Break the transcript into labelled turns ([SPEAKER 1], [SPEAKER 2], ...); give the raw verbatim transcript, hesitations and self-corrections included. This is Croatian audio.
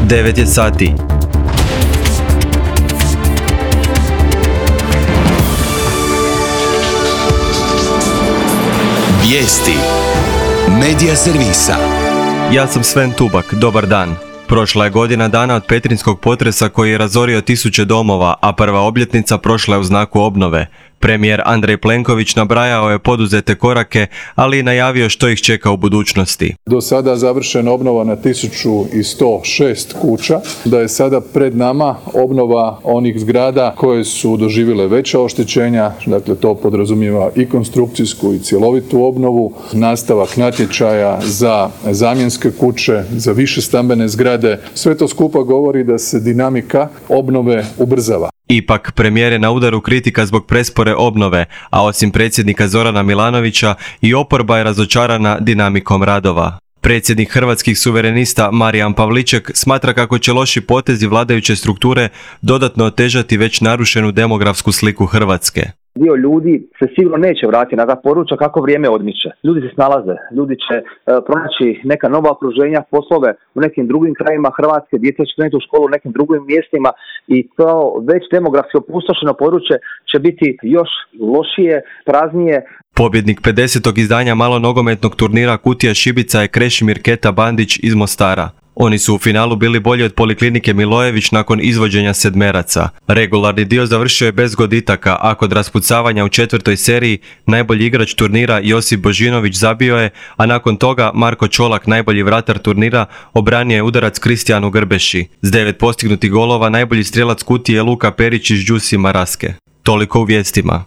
[SPEAKER 1] devet je sati.
[SPEAKER 2] Vijesti Medija servisa.
[SPEAKER 1] Ja sam Sven Tubak, dobar dan. Prošla je godina dana od petrinjskog potresa koji je razorio tisuće domova, a prva obljetnica prošla je u znaku obnove. Premijer Andrej Plenković nabrajao je poduzete korake, ali i najavio što ih čeka u budućnosti.
[SPEAKER 3] Do sada završena obnova na tisuću sto šest kuća, da je sada pred nama obnova onih zgrada koje su doživjele veća oštećenja, dakle to podrazumijeva i konstrukcijsku i cjelovitu obnovu, nastavak natječaja za zamjenske kuće, za više stambene zgrade. Sve to skupa govori da se dinamika obnove ubrzava.
[SPEAKER 1] Ipak, premijer je na udaru kritika zbog prespore obnove, a osim predsjednika Zorana Milanovića i oporba je razočarana dinamikom radova. Predsjednik Hrvatskih suverenista Marijan Pavliček smatra kako će loši potezi vladajuće strukture dodatno otežati već narušenu demografsku sliku Hrvatske.
[SPEAKER 4] Dio ljudi se sigurno neće vratiti na ta područja kako vrijeme odmiče. Ljudi se snalaze, ljudi će e, pronaći neka nova okruženja, poslove u nekim drugim krajima Hrvatske, djeca će krenuti u školu u nekim drugim mjestima i to već demografski opustošeno područje će biti još lošije, praznije.
[SPEAKER 1] Pobjednik pedesetog izdanja malonogometnog turnira Kutija Šibica je Krešimir Keta Bandić iz Mostara. Oni su u finalu bili bolji od Poliklinike Milojević nakon izvođenja sedmeraca. Regularni dio završio je bez goditaka, a kod raspucavanja u četvrtoj seriji najbolji igrač turnira Josip Božinović zabio je, a nakon toga Marko Čolak, najbolji vratar turnira, obranio je udarac Kristijanu Grbeši. S devet postignutih golova najbolji strijelac Kutije je Luka Perić iz Đusi Maraske. Toliko u vijestima.